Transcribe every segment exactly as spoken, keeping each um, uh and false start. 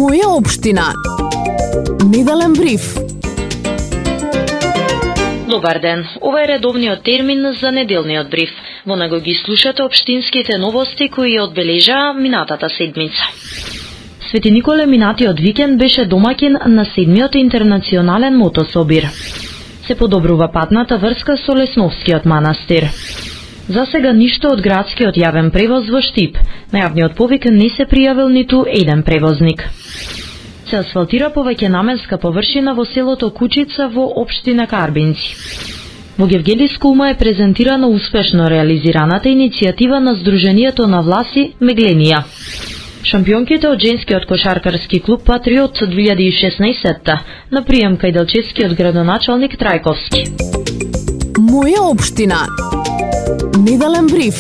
Моја општина. Неделен бриф. Добар ден. Ова е редовниот термин за неделниот бриф. Во него ги слушате општинските новости кои одбележаа минатата седмица. Свети Николе минатиот викенд беше домаќин на седмиот интернационален мотособир. Се подобрува патната врска со Лесновскиот манастир. За сега ништо од градскиот јавен превоз во Штип. На јавниот повик не се пријавил ниту еден превозник. Се асфалтира повеќе наменска површина во селото Кучица во општина Карбинци. Во Гевгелиско ума е презентирана успешно реализираната иницијатива на Сдруженијето на власи Мегленија. Шампионките од женскиот кошаркарски клуб Патриот две илјади и шеснаесетта на прием кај делчевскиот градоначалник Трајковски. Моја општина. Неделен бриф.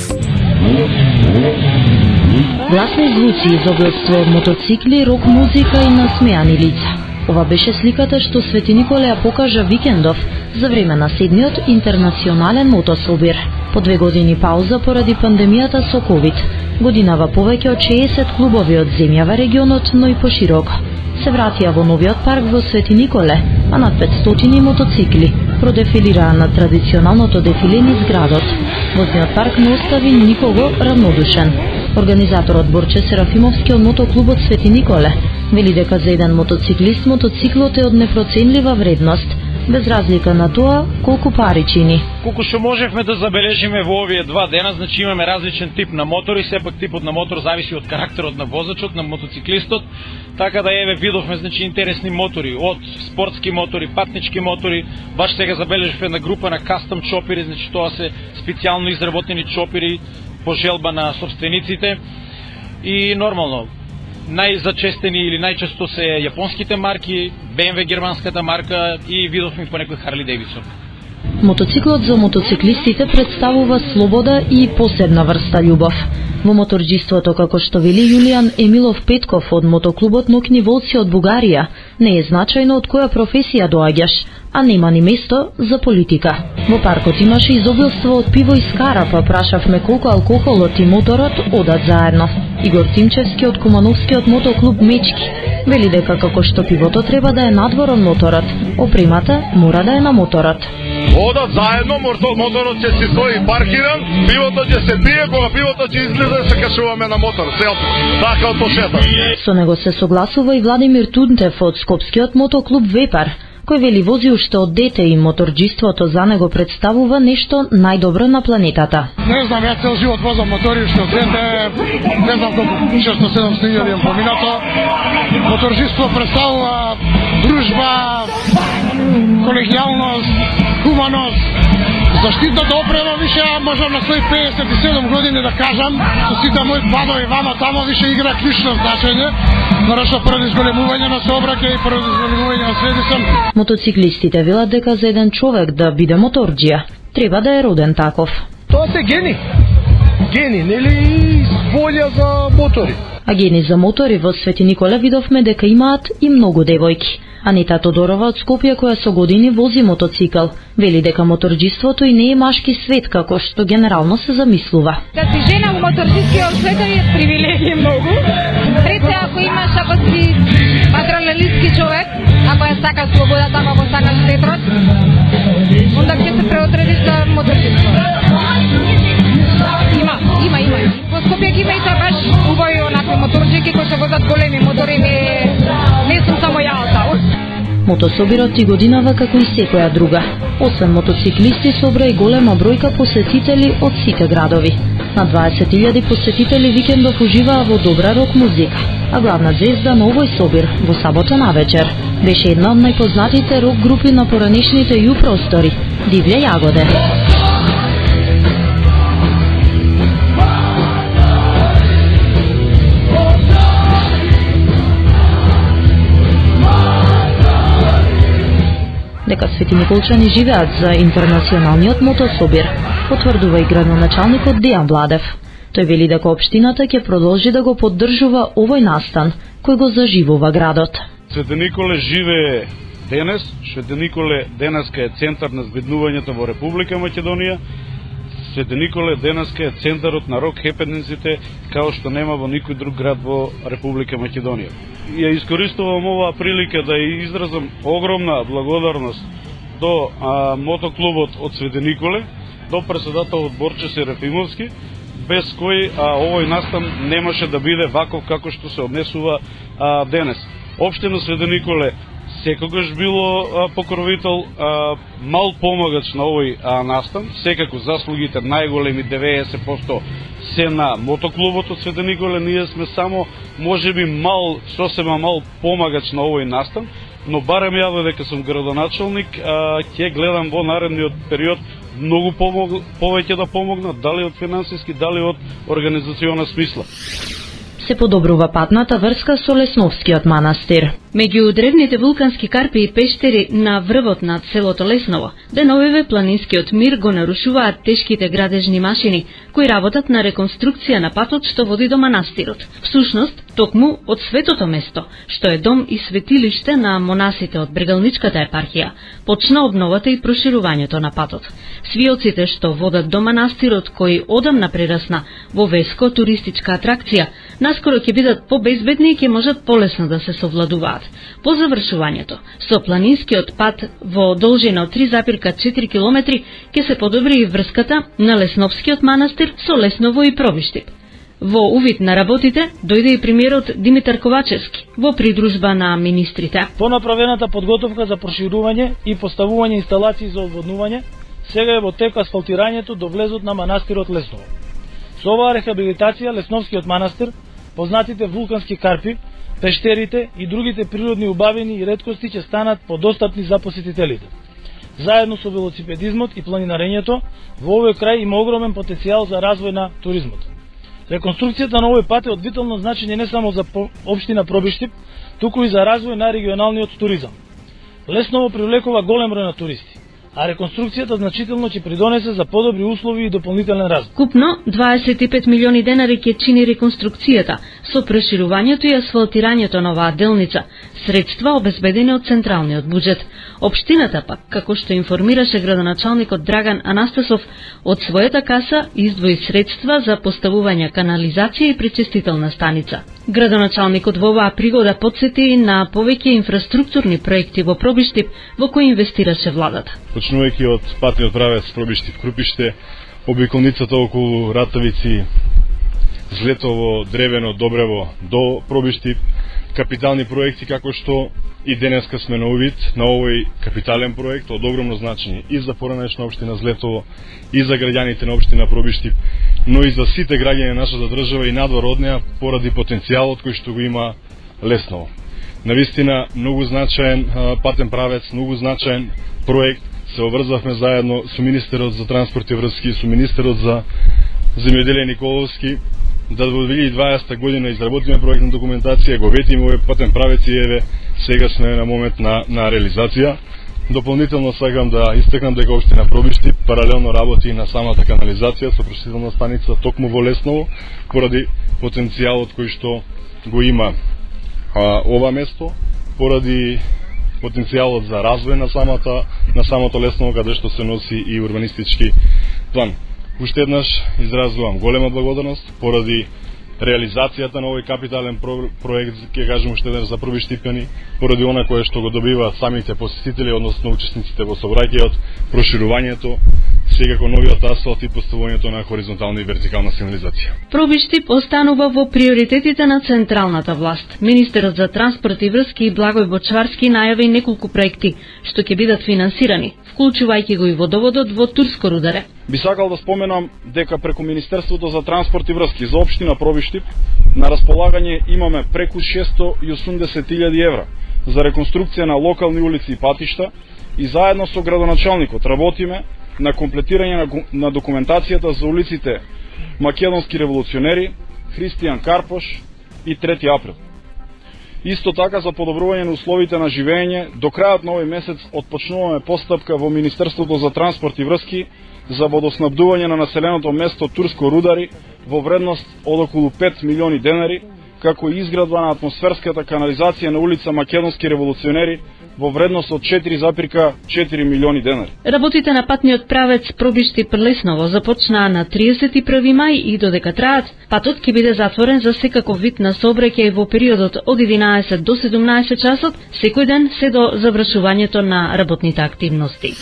Гласни звуци, изобилство од мотоцикли, рок музика и насмеани лица. Ова беше сликата што Свети Николе ја покажа викендов за време на седмиот интернационален мотособир. По две години пауза поради пандемијата со ковид. Годинава повеќе од шеесет клубови од земјава регионот, но и пошироко се вратија во новиот парк во Свети Николе, а над петстотини мотоцикли продефилираа на традиционалното дефиле низ градот. Возниот парк не остави никого равнодушен. Организаторот Борче Серафимовски од мотоклубот Свети Николе вели дека за еден мотоциклист мотоциклот е од непроценлива вредност, без разлика на тоа колку пари чини. Колку што можевме да забележиме во овие два дена, значи имаме различен тип на мотори, сепак типот на мотор зависи од карактерот на возачот, на мотоциклистот, така да еве видовме значи интересни мотори, од спортски мотори, патнички мотори, баш сега забележивме една група на кастом чопери, значи тоа се специјално изработени чопери по желба на собствениците и нормално најзачестени или најчесто се јапонските марки, Б М В германската марка и видовме по некој Харли Дейвидсон. Мотоциклот за мотоциклистите представува слобода и посебна врста љубов. Во моторџиството, како што вели Јулијан Емилов Петков од мотоклубот Нокни волци од Бугарија, не е значајно од која професија доаѓаш, а нема ни место за политика. Во паркот имаше изобилство од пиво и скара, па прашавме колку алкохолот и моторот одат заедно. Игор Тимчевски од Кумановскиот мотоклуб Мечки вели дека како што пивото треба да е надвор од моторот, опремата мора да е на моторот. Одат заедно, моторот ќе си стои паркиран, пивото ќе се пие, кога пивото ќе излезе се качуваме на мотор, селфи, така од пошета. Со него се согласува и Владимир Тунтев од Скопскиот мотоклуб Вепар, кој вели вози уште од дете и моторџиството за него представува нешто најдобро на планетата. Не знам, ја цел живот возам мотори уште од дете, не знам колку шестоста седумстотини илјади имам поминато. Моторџиство представува дружба, колегијалност, хуманост, заштитната опрема више, можам на своји пеесет и седум години да кажам, со сите мои падови вама тамо више игра клучно значење, нарошто поради зголемување на сообраќај и поради зголемување на средисам. Мотоциклистите велат дека за еден човек да биде моторџија, треба да е роден таков. Тоа се гени. Гени, нели волја за мотори. А гени за мотори во Свети Николе видовме дека имаат и многу девојки. Анита Тодорова од Скопје, која со години вози мотоцикл, вели дека моторџиството и не е машки свет како што генерално се замислува. Да си жена во моторџискиот свет е привилегија многу. Пред се ако имаш, ако си патерналистки човек, ако ја сакаш слободата, ако сакаш ветрот, онда ќе се преотредиш за моторџиство. Има, има, има. Во Скопје ги има и се баш убави онакви моторџики кои се возат големи мотори, не, не сум само ја таа. Мотособирот и годинава како и секоја друга. Освен мотоциклисти собра и голема бројка посетители од сите градови. На дваесет илјади посетители викендов уживаа во добра рок музика, а главна звезда на овој собир во сабота навечер беше една од најпознатите рок групи на поранешните ју простори, Дивља јагоде. Дека Свети Николчани живеат за интернационалниот мотособир, потврдува и градоначалникот Дејан Владев. Тој вели дека општината ќе продолжи да го поддржува овој настан, кој го заживува градот. Свети Николе живее денес, Свети Николе денеска е центар на збеднувањето во Република Македонија. Свети Николе денеска е центарот на рок хепенинците, као што нема во никој друг град во Република Македонија. Ја искористувам оваа прилика да ја изразам огромна благодарност до а, мотоклубот од Свети Николе, до председателот Борче Серафимовски, без кој а, овој настан немаше да биде ваков како што се однесува а, денес. Општина Свети Николе секогаш било а, покровител, а, мал помагач на овој а, настан, секако заслугите најголеми деветдесет проценти се на мотоклубот од Свети Николе, ние сме само можеби мал, сосема мал помагач на овој настан, но барем ја додека сум градоначалник, а, ќе гледам во наредниот период многу помог, повеќе да помогнат, дали од финансиски, дали од организациона смисла. Се подобрува патната врска со Лесновскиот манастир. Меѓу древните вулкански карпи и пештери на врвот на селото Лесново, деновиве планинскиот мир го нарушуваат тешките градежни машини кои работат на реконструкција на патот што води до манастирот. Всушност, токму од светото место, што е дом и светилиште на монасите од Брегалничката епархија, почна обновата и проширувањето на патот. Свиоците што водат до манастирот, кој одамна прерасна во веско туристичка атракција, наскоро ќе бидат побезбедни и ќе можат полесно да се совладуваат. По завршувањето, со планинскиот пат во должина од три запирка четири километри ќе се подобри и врската на Лесновскиот манастир со Лесново и Пробиштип. Во увид на работите дојде и премиерот Димитар Ковачевски во придружба на министрите. По направената подготовка за проширување и поставување инсталации за одводнување, сега е во тек асфалтирањето до влезот на манастирот Лесново. Со оваа рехабилитација Лесновскиот манастир, познатите вулкански карпи, пештерите и другите природни убавини и реткости ќе станат подостапни за посетителите. Заедно со велосипедизмот и планинарењето, во овој крај има огромен потенцијал за развој на туризмот. Реконструкцијата на овој пат е од витално значење не само за општина Пробиштип, туку и за развој на регионалниот туризам. Лесново привлекува голем број на туристи, а реконструкцијата значително ќе придонесе за подобри услови и дополнителен развој. Купно дваесет и пет милиони денари ќе чини реконструкцијата со проширувањето и асфалтирањето на оваа делница, средства обезбедени од централниот буџет. Општината пак, како што информираше градоначалникот Драган Анастасов, од својата каса издвои средства за поставување канализација и пречистителна станица. Градоначалникот во оваа пригода потсети на повеќе инфраструктурни проекти во Пробиштип во кои инвестираше владата. Почнувајќи од патниот правец Пробиштип-Крупиште, обиколницата околу Ратовици, Злетово, Древено, Добрево до Пробиштип, капитални проекти како што и денеска сме на увид на овој капитален проект од огромно значење и за поранешна општина Злетово, и за граѓаните на општина Пробиштип, но и за сите граѓани на нашата држава и надвор од неа поради потенцијалот кој што го има Лесново. Навистина многу значаен патен правец, многу значаен проект. Се обврзавме заедно со министерот за транспорт и врски, со министерот за земјоделие Николовски, да во две илјади и дваесета година изработиме проектна документација, го ветиме овој патен правец и еве сега сме на момент на, на реализација. Дополнително сакам да истакнам дека општина Пробиштип паралелно работи на самата канализација со пречистителна станица токму во Лесново, поради потенцијалот кој што го има а, ова место, поради потенцијалот за развој на самата на самото Лесново, каде што се носи и урбанистички план. Уште еднаш изразувам голема благодарност поради реализацијата на овој капитален про, проект, ќе кажем уште еднаш за Пробиштипјани, поради она кое што го добиваат самите посетители, односно учесниците во сообраќајот, проширувањето, секако новиот асфалт и поставувањето на хоризонтална и вертикална сигнализација. Пробиштип останува во приоритетите на централната власт. Министерот за транспорт и врски Благој Бочварски најави неколку проекти што ќе бидат финансирани, вклучувајќи го и водоводот во Турско рударе. Би сакал да споменам дека преку Министерството за транспорт и врски за општина Пробиштип на располагање имаме преку шесто и осумдесет илјади евра за реконструкција на локални улици и патишта и заедно со градоначалникот работиме на комплетирање на, на документацијата за улиците Македонски револуционери, Христијан Карпош и трети април. Исто така за подобрување на условите на живење, до крајот на овој месец отпочнуваме постапка во Министерството за транспорт и врски за водоснабдување на населеното место Турско рудари во вредност од околу пет милиони денари како и изградба на атмосферската канализација на улица Македонски револуционери во вредност од четири зарез четири милиони денари. Работите на патниот правец Пробишти-Прелесново започнаа на триесет и први мај и додека траат, патот ќе биде затворен за секаков вид на сообраќај во периодот од единаесет до седумнаесет часот секој ден се до завршувањето на работните активности.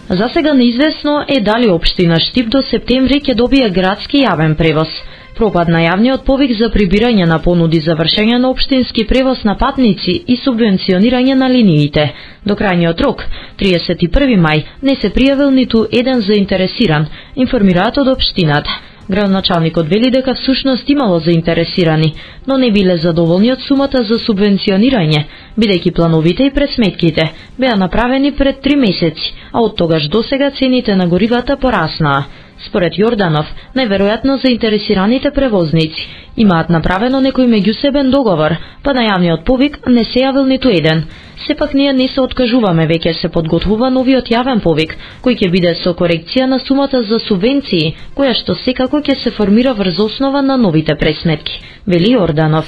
За сега неизвестно е дали општина Штип до септември ќе добие градски јавен превоз. Пропад на јавниот повик за прибирање на понуди за вршење на општински превоз на патници и субвенционирање на линиите. До крајниот рок, триесет и први мај, не се пријавил ниту еден заинтересиран, информираат од општината. Градоначалникот вели дека всушност имало заинтересирани, но не биле задоволни од сумата за субвенционирање, бидејќи плановите и пресметките беа направени пред три месеци, а од тогаш досега цените на горивата пораснаа. Според Јорданов, најверојатно заинтересираните превозници имаат направено некој меѓусебен договор, па на јавниот повик не се јавил ниту еден. Сепак ние не се откажуваме, веќе се подготвува новиот јавен повик, кој ќе биде со корекција на сумата за субвенции, која што секако ќе се формира врз основа на новите пресметки, вели Јорданов.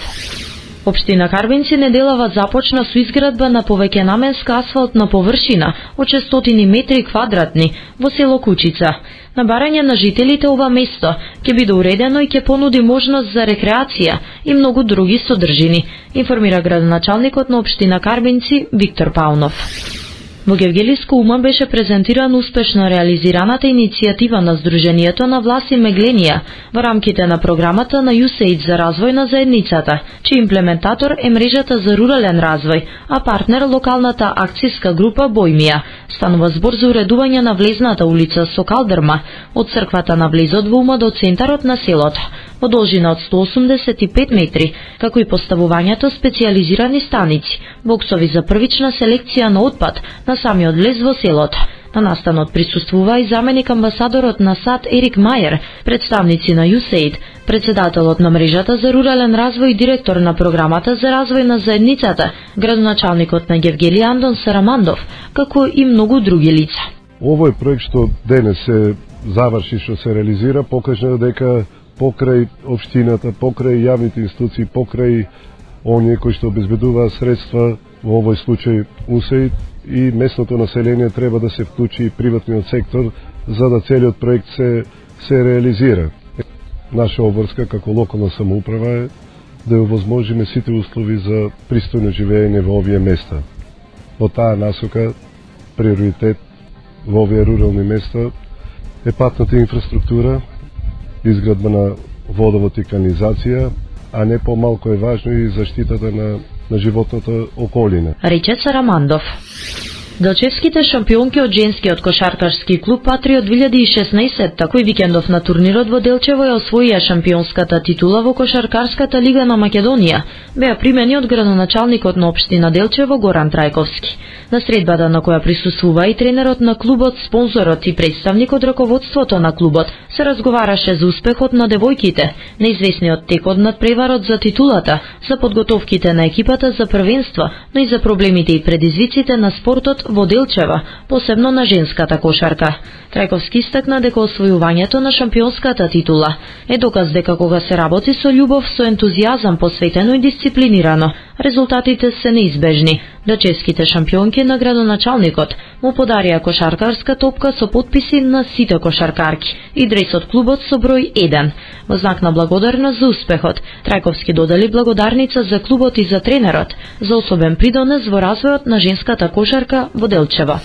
Општина Карбинци неделава започна со изградба на повеќенаменска асфалтна површина од шестстотини метри квадратни во село Кучица. На барање на жителите ова место ќе биде уредено и ќе понуди можност за рекреација и многу други содржини, информира градоначалникот на општина Карбинци Виктор Паунов. Во Гевгелиско ума беше презентирана успешно реализираната иницијатива на Сдруженијето на Власи Мегленија во рамките на програмата на ю ес ей ай ди за развој на заедницата, чиј имплементатор е мрежата за рурален развој, а партнер локалната акцијска група Бојмија. Станува збор за уредување на влезната улица со калдерма од црквата на влезот во ума до центарот на селото, во должина од сто осумдесет и пет метри, како и поставувањето специјализирани станици, боксови за првична селекција на отпад на самиот влез во селото. На настанот присуствува и заменик амбасадорот на САД Ерик Мајер, представници на ю ес ей ай ди, председателот на мрежата за рурален развој и директор на програмата за развој на заедницата, градоначалникот на Гевгели Андон Сарамандов, како и многу други лица. Овој проект што денес се заврши, што се реализира, покажа дека покрај општината, покрај јавните институции, покрај оние кои што обезбедуваат средства, во овој случај у ес ей ай ди, и местното население треба да се вклучи и приватниот сектор за да целиот проект се се реализира. Наша обврска како локална самоуправа е да овозможиме сите услови за пристојно живење во овие места. Во таа насока приоритет во овие рурални места е патната инфраструктура, изградба на водовод и канализација, а не помалку е важно и заштитата на на животната околина. Рече Сарамандов. Делчевските шампионки од женскиот кошаркарски клуб Патриот две илјади и шеснаесет, кој викендов на турнирот во Делчево ја освоија шампионската титула во кошаркарската лига на Македонија, беа примени од градоначалникот на општина Делчево Горан Трајковски. На средбата на која присуствува и тренерот на клубот, спонзорот и представник од раководството на клубот, се разговараше за успехот на девојките, неизвестниот тек од надпреварот за титулата, за подготовките на екипата за првенство, но и за проблемите и предизвиците на спортот во Делчева, посебно на женската кошарка. Трајковски истакна дека освојувањето на шампионската титула е доказ дека кога се работи со љубов, со ентузијазам, посветено и дисциплинирано, резултатите се неизбежни. Делчевските шампионки на градоначалникот му подарија кошаркарска топка со потписи на сите кошаркарки и дрес од клубот со број еден. Во знак на благодарност за успехот, Трајковски додели благодарница за клубот и за тренерот за особен придонес во развојот на женската кошарка во Делчево.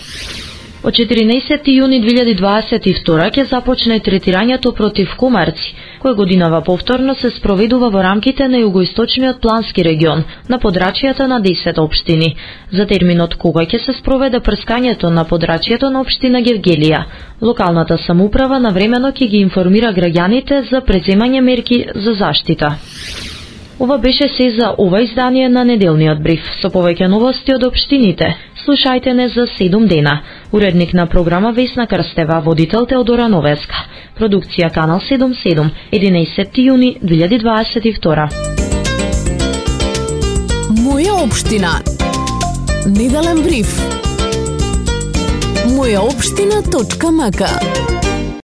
Од четиринаесети јуни две илјади дваесет и втора ќе започне третирањето против комарци, кој годинава повторно се спроведува во рамките на југоисточниот плански регион, на подрачјата на десет општини. За терминот кога ќе се спроведе прскањето на подрачјето на општина Гевгелија, локалната самоуправа навремено ќе ги информира граѓаните за преземање мерки за заштита. Ова беше се за ова издание на неделниот бриф. Со повеќе новости од општините, слушајте не за седум дена. Уредник на програма Весна Крстева, водител Теодора Новеска. Продукција Канал седум седум, единаесети јуни две илјади дваесет и втора. Моја општина. Неделен бриф. моја општина точка м к